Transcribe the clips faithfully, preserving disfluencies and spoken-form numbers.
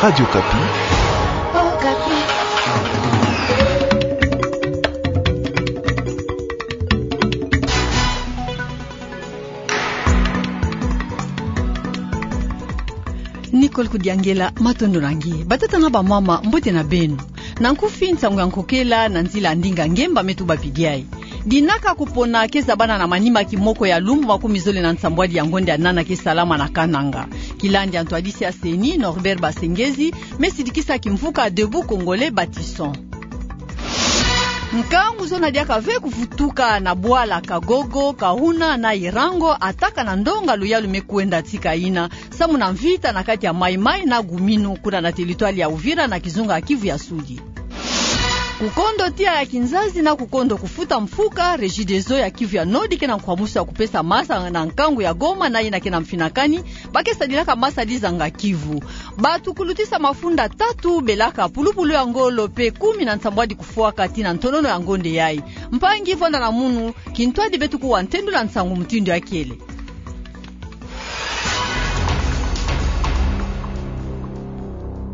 Radio Okapi. Nicole Kudiangela, matondo na nge. Batata na bamama, mbote na beno. Na nkufi, nsangu ya nkokela na nzila ya ndinga ngemba me tubapidi ayi. Dinaka kupona keza bana na manima kimoko ya lumbu makumi zole na nsambwadi ya ngonda ya nana ke salama na Kananga. Kilandi ya ntwadisi ya CENI, Norbert Basengezi, me sidikisa kimvuka Debout Congolais Bâtissons. Nkangu zona diaka ve kuvutuka na bwala Kagogo, Kahuna na Irango, ataka na ndonga luyalu me kwenda tika ina, samu na mvita na kati ya Maï-Maï na Gouminot, kuna na territoire ya Uvira na kizunga ya Kivu ya Sudi. Kukondo tiya ya kinzazi na kukondo kufuta mfuka, Regideso ya Kivu ya Nord ke na nkwamusu ya kupesa masa na nkangu ya Goma na yina ke na mfinakani, ba ke sadilaka masa dizanga Kivu. Bato kulutisa mafunda tatu belaka pulupulu ya ngolo pe kumi na nsambwadi kufwaka tii na ntonono ya ngonda yayi. Mpangi, vwanda na munu, kintwadi beto kuwa ntendula nsangu mutindu ya kele.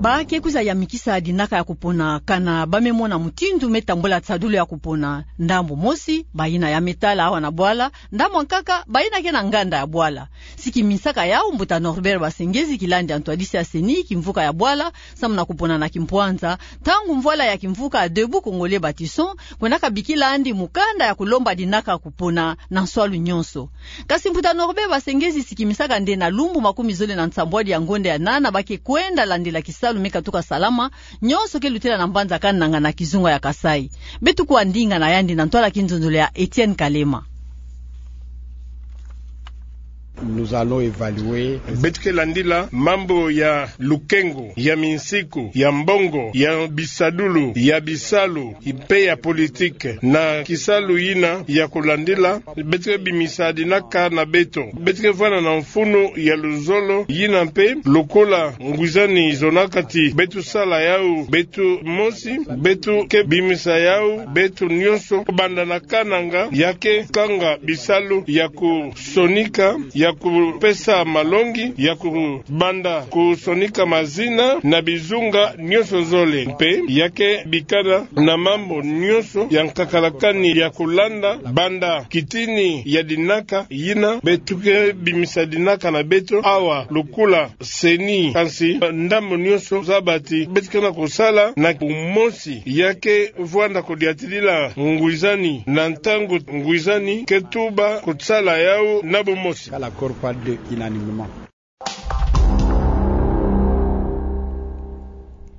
Ba ke kwiza yamikisa dinaka ya kupona kana ba me mona mutindu me tambula tsadulu ya kupona. Ndambu mosi, bayina ya me tala awa na bwala, ndambu ya nkaka, bayina ke na nganda ya bwala. Si kimisaka yau mbuta Norbert Basengezi, kilandi ya ntwadisi ya CENI, kimvuka ya bwala, samu na kupona na kimpwanza, ntangu mvwala ya kimvuka Debout Congolais Bâtissons kwendaka bikila andi mukanda ya kulomba dinaka kupona na nswalu nyonso. Kasi mbuta Norbert Basengezi si kimisaka nde na lumbu makumi zole na nsambwadi ya ngonda ya nana ba ke kwenda landila kisalu me katuka salama, nyonso ke lutela na mbanza Kananga na kizunga ya Kasaï. Beto kuwa ndinga na yandi na ntwala kinzonzolo ya Etienne Kalema. Nous allons évaluer. Beto ke landila mambu ya lukengo, ya minsiku, ya mbongo, ya bisadulu, ya bisalu, mpe ya politique. Na kisalu yina ya kulandila, beto ke bimisa dinaka na beto. Beto ke vwanda na mfunu ya luzolo, yina mpe lokola ngwizani zonaka ti beto sala yau beto mosi, beto ke bimisa yau beto nyonso, kubanda na Kananga, ya ke kanga bisalu ya kusonika, ya kupesa malongi, ya kubanda kusonika mazina na bizunga nyonso zole. Mpe ya ke bikana na mambu nyonso ya nkakalakani ya kulanda, banda kitini ya dinaka yina. Beto ke bimisa dinaka na beto awa lokola CENI, kansi ndambu nyonso zaba ti beto ke na kusala na bumosi. Ya ke vwanda kudiatilila ngwizani na ntangu ngwizani ke tuba kusala yau na bumosi. L'accord par deux unanimement.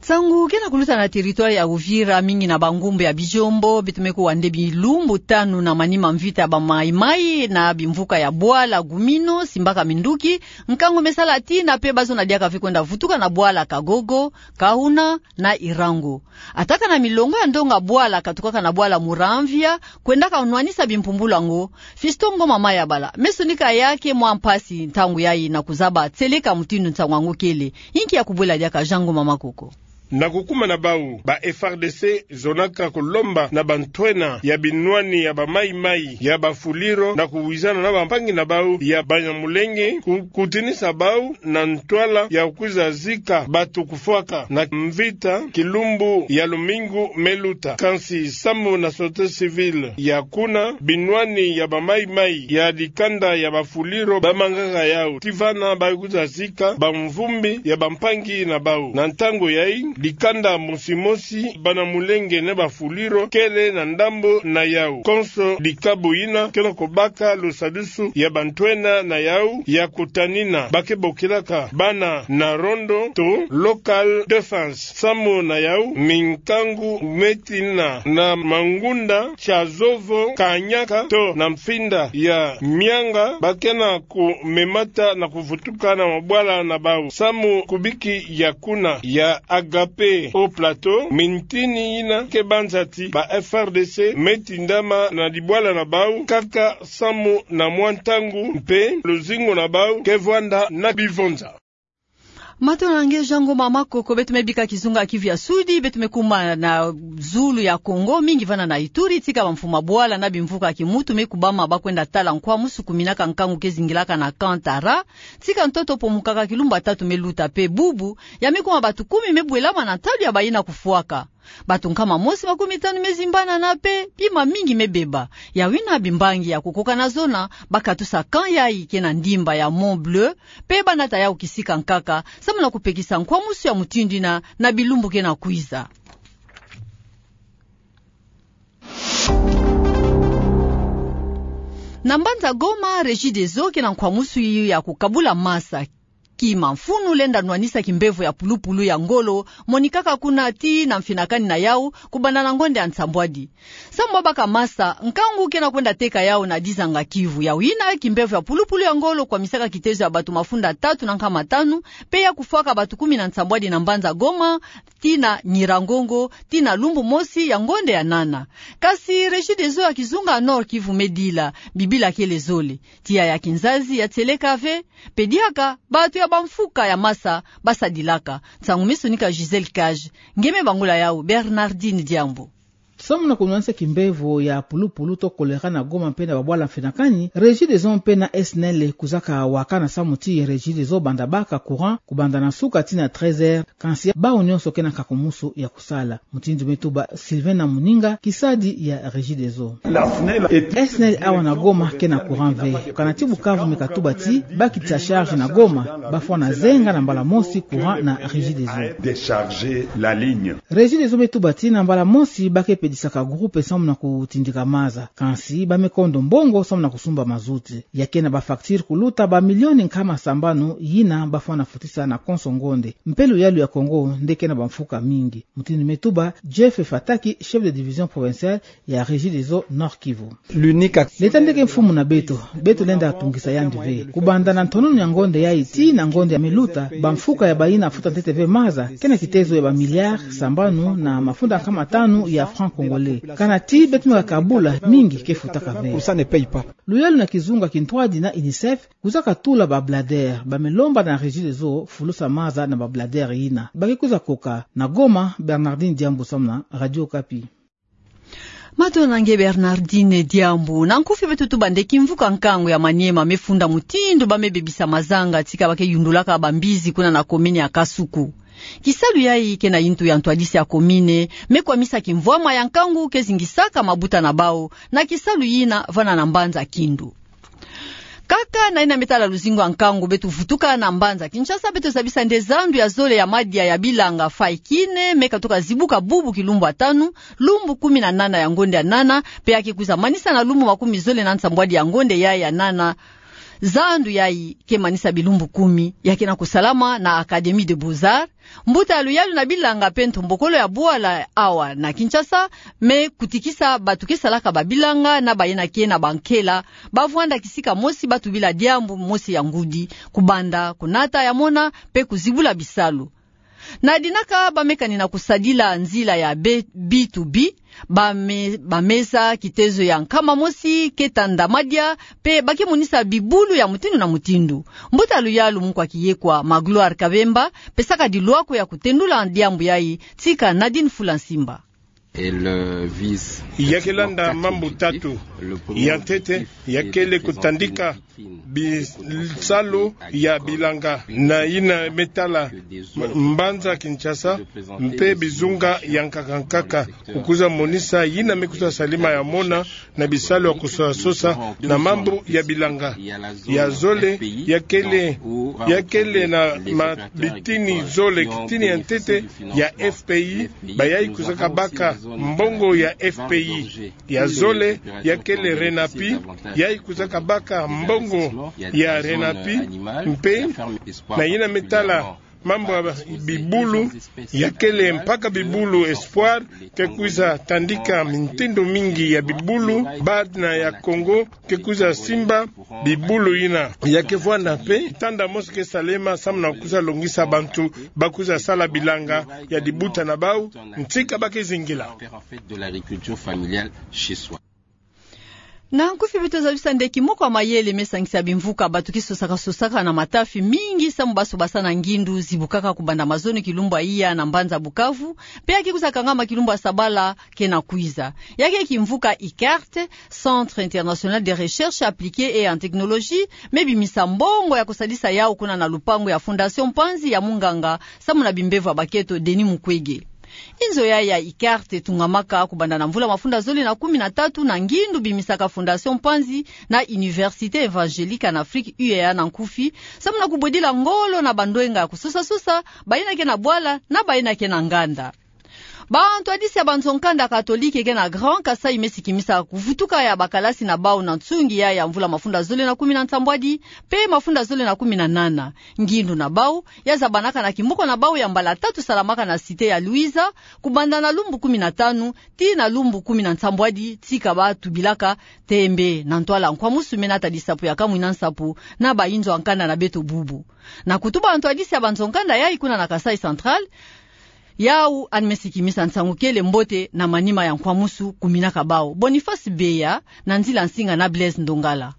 Nsangu ke na kuluta na territoire ya Uvira, mingi na bangumbu ya bijombo, beto me kuwa nde bilumbu tanu na manima mvita ya ba Maï-Maï na bimvuka ya bwala Gouminot simbaka minduki, nkangu me sala tii na mpe ba zona diaka ve kwenda vutuka na bwala Kagogo, Kahuna na Irango. Ataka na milongo ya ndonga bwala katukaka na bwala Muramvya, kwendaka nwanisa bimpumbulu yango, Fiston Ngoma Mayabala me sonika ya ke mwa mpasi ntangu yayi na kuzaba tieleka mutindu nsangu yango kele. Inki ya kubwela diaka Jean Ngoma Makoko? Na kukuma na bau, ba FARDC zonaka kulomba na bantwenia ya binwani ya ba Maï-Maï, ya ba Fuliro, na kuwizana na bampangi na bau ya Banyamulenge, ku-, kutinisa bau na ntwala ya kwiza zika bato kufwaka na mvita kilumbu ya lumingu me luta. Kansi samu na société civile ya kuna, binwani ya ba Maï-Maï ya dikanda ya ba Fuliro bamangaka yau. Ti vana ba kwiza zika bamvumbi ya bampangi na bau. Na ntangu yayi, dikanda mosi mosi, Banyamulenge na ba Fuliro, kele na ndambu na yau. Konso dikabu yina ke na kubaka lusadusu ya bantwenia na yau ya kutanina ba ke bokilaka bana na rondo to local defense. Samu na yau, minkangu me tina na mangunda, Tchazovo, Kanyaka to na mfinda ya Mianga, ba ke na kumemata na kuvutuka na mabwala na bau. Samu kubiki ya kuna ya Agape Haut Plateau, mintini yina ke banza ti ba FARDC me tindama na dibwala na bau kaka samu na mwa ntangu, mpe luzingu na bau ke vwanda na bivonza. Matondo na nge Jean Ngoma Makoko. Beto me bika kizunga Kivu ya Sudi, beto me kuma na zulu ya Kongo, mingi vana na Ituri, tika bamfuma bwala na bimvuka ya kimuntu me kubama ba kwenda tala nkwamusu kuminaka nkangu ke zingilaka na Kantara, tika ntoto pomukaka kilumbu ya tatu me luta pe bubu, ya me kuma bato kumi me bwelama na ntalu ya bayina kufwaka. Bato nkama mosi makumi tanu me zimbanana pe bima mingi me beba. Yawu yina bimbangi ya kukoka na zona, ba katusa camp yayi ke na ndimba ya Mont Bleu, pe ba nata yawu kisika nkaka, samu na kupekisa nkwamusu ya mutindu yina na bilumbu ke na kwiza. Na mbanza Goma, Regideso ke na nkwamusu ya kukabula masa. Kima mfunu lenda nwanisa kimbevo ya pulupulu ya ngolo, monikaka kuna tii na mfinakani na yawu, kubanda na ngonde ya nsambwadi. Samu ba baka masa, nkangu ke na kwenda teka yawu na dizanga Kivu. Yawu yina, kimbevo ya pulupulu ya ngolo kwamisaka kitezo ya bato mafunda tatu na nkama tanu, pe ya kufwaka bato kumi na nsambwadi na mbanza Goma, tii na Nyiragongo, tii na lumbu mosi ya ngonde ya nana. Kasi Regideso ya kizunga Nord-Kivu me dila, bibila kele zole. Tiya ya kinzazi ya tieleka ve, pe diaka bato ya bamfuka ya masa ba sadilaka. Nsangu me sonika Gisèle Cage, nge me bangula yawu Bernardine Diambu. Samu na kunwanisa kimbevo ya pulupulu to choléra na Goma mpe na babwala mfinakani, Regideso mpe na S N E L kwizaka wakana samu ti Regideso banda baka courant kubanda na suka tii na treize heures, kansi bawu nyonso ke na nkakumusu ya kusala. Mutindu me tuba Sylvain Namuninga, kisadi ya Regideso. S N E L awa na Goma ke na courant ve. Kana ti Bukavu me katuba ti ba kitisa charge na Goma, ba fwana zenga na mbala mosi courant na Regideso. Regideso me tuba ti na mbala mosi ba ke pedisaka groupe samu na kutindika maza. Kansi ba me kondo mbongo samu na kusumba mazout. Ya ke na ba facture kuluta ba milioni nkama sambanu yina ba fwana futisa na konso ngonde. Mpe luyalu ya Kongo nde ke na bamfuka mingi. Mutindu me tuba Jeff Fataki, chef de division provinciale ya Regideso Nord-Kivu. L'État nde ke mfumu na beto, beto lenda tungisa yandi ve. Kubanda na ntononu ya ngonde yayi tii na ngonde ya me luta, bamfuka ya bayina futa ntete ve maza ke na kitezo ya ba milliards sambanu na mafunda nkama tanu ya francs congolais. Kana ti beto me kabula, mingi ke futaka ve. Luyalu na kizunga kintwadi na UNICEF, kwizaka tula ba bladeurs, ba me lomba na Regideso fulusa maza na ba bladeurs yina. Ba ke kwiza koka. Na Goma, Bernardine Diambu samu na Radio Okapi. Matondo na nge Bernardine Diambu. Na nkufi beto tuba nde kimvuka nkangu ya Maniema me funda mutindu ba me bebisa mazanga tika ba ke yundulaka bambizi kuna na commune ya Kasuku. Kisalu yayi ke na yintu ya ntwadisi ya commune me kwamisa kimvwama ya nkangu ke zingisaka mabuta na bawu na kisalu yina vana na mbanza Kindu. Kaka na yina me tala luzingu ya nkangu, beto vutuka na mbanza Kinshasa, beto zabisa nde zandu ya zole ya madia ya bilanga Faikine me katuka zibuka bubu kilumbu ya tanu, lumbu kumi na nana ya ngonde ya nana, pe ya ke kwiza manisa na lumbu makumi zole na nsambwadi ya ngonde yayi ya nana. Zandu yayi ke manisa bilumbu kumi, ya ke na kusalama na Académie des Beaux-Arts, mbuta ya luyalu na bilanga pe ntombokolo ya bwala awa na Kinshasa, me kutikisa bato ke salaka ba bilanga na bayina ke na bankela, ba vwanda kisika mosi ba tubila diambu mosi ya ngudi, kubanda, kunata ya mona, pe kuzibula bisalu. Na dinaka ba me kani na kusadila nzila ya be-, B to B, ba me-, ba meza kitezo ya nkama mosi ke tanda madia, pe ba ke monisa bibulu ya mutindu na mutindu. Mbuta luyalu mukwa kiyekwa Magloire Kabemba pesaka dilwako ya kutendula diambu yayi tika Nadine Fulansimba. Ya ke landa mambu tatu. Ya ntete, ya kele kutandika bisalu ya bilanga na yina me tala m-, mbanza Kinshasa, mpe bizunga ya nkaka nkaka, kukwiza monisa yina me kwiza salama ya mona na bisalu ya kwiza sosa na mambu ya bilanga. Ya zole, ya kele, ya kele na ma-, bitini zole, kitini ya ntete ya F P I, bayayi kwizaka baka mbongo ya F P I. Ya zole, ya kele RENAPI, yayi kwizaka baka mbongo ya RENAPI, mpe na yina me tala mambu ya bibulu, ya kele mpaka bibulu Espoir, ke kwiza tandika mintindo mingi ya bibulu, BAD na ya Congo, ke kwiza simba bibulu yina. Ya ke vwanda mpe tanda mosi ke salama samu na kwiza longisa bantu ba kwiza sala bilanga ya dibuta na bawu, ntika ba ke zingila. Na nkufi beto zabisa nde kimoko ya mayele me sangisa bimvuka bato ki sosaka-sosaka na matafi mingi samu basobasa na ngindu zibukaka kubanda mazono kilumbu ya iya na mbanza Bukavu, pe ya ki kwiza kangama kilumbu ya sabala kena kwiza. Ya ke kimvuka ICART, Centre International de Recherche Appliquée et en Technologie, me bimisa mbongo ya kusadisa yau kuna na lupangu ya Fondation Mpanzi ya munganga samu na bimbevo ya bakento Denis Mukwege. Inzo ya ya ICART etungamaka kubanda na mvula mafunda zole na kumi na tatu na ngindu bimisaka Fondation Mpanzi na Université Évangélique en Afrique, U E A na nkufi, samu na kubwedila ngolo na bandwenga ya kusosa-sosa, bayina ke na bwala na bayina ke na nganda. Bantwadisi ya banzo-nkanda katolike ke na Grand Kasaï me sikimisa kuvutuka ya bakalasi na bau na nsungi ya ya mvula mafunda zole na kumi na nsambwadi pe mafunda zole na kumi na nana. Ngindu na bau ya zabanaka na kimoko na bau ya mbala tatu salamaka na Cité ya Louisa, kubanda na lumbu kumi na tanu tii na lumbu kumi na nsambwadi, tika batubilaka tembe na ntwala nkwamusu me natadisa po ya kamwina nsapo na bainzo ya nkanda na beto bubu. Na kutuba ntwadisi ya banzo-nkanda yayi kuna na Kasaï Central, yau ani me sikimisa nsangu kele mbote na manima ya nkwamusu kuminaka bau. Boniface Beya, na nzila nsinga na Blaise Ndongala.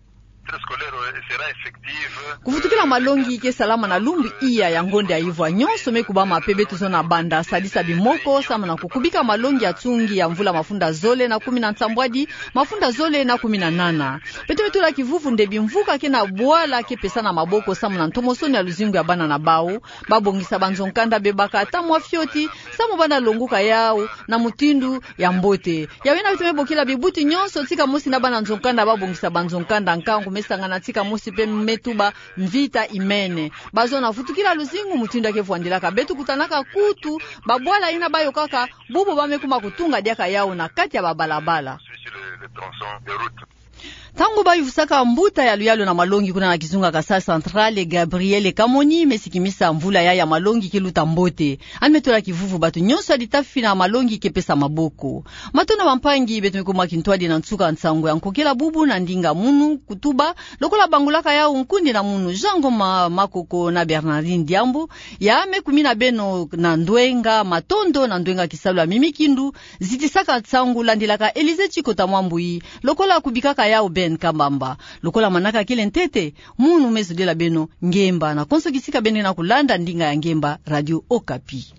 Kuvutukila malongi ke salama na lumbu iya ya ngonde ya ivwa nyonso me kubama pe beto zona banda sadisa bimoko samu na kukubika malongi ya nsungi ya mvula mafunda zole na kumi na nsambwadi, mafunda zole na kumi na nana. Beto me tula kivuvu nde bimvuka ke na bwala ke pesana maboko samu na ntomosono ya luzingu ya bana na bau. Babongisa banzo-nkanda bebaka ata mwa fioti samu bana longuka yau na mutindu ya mbote. Yawena beto me bokila bibuti nyonso tika mosi na bana nzo-nkanda babongisa banzo-nkanda nkangu me sangana tika mosi pe me tuba mvita imene. Bazona vutukila luzingu mutindu ya ke vwandilaka. Beto kutanaka kutu babwala yina bayokaka, bubu ba me kuma kutunga diaka yau na kati ya babalabala. Ntangu bayuvusaka mbuta ya luyalu na malongi kuna na kizunga Kasaï Central, Gabriel Kamoni me sikimisa mvula ya ya malongi ke luta mbote. Ani me tula kivuvu bato nyonso ya litafi na malongi ke pesa maboko. Matondo bampangi, beto me kuma kintwadi na nsuka nsangu ya nkokela bubu na ndinga munu kutuba, lokola bangulaka yau nkundi na munu Jean Ngoma Makoko na Bernardine Diambu, ya me kumina beno na ndwenga matondo na ndwenga kisalu ya mimi kindu, zitisaka nsangu landilaka Élisée Tchikota Mwambui, lokola kubikaka yau Ben Kambamba. Lokola manaka kele ntete, munu me zodila beno ngemba na konso kisika beno na kulanda ndinga ya ngemba Radio Okapi.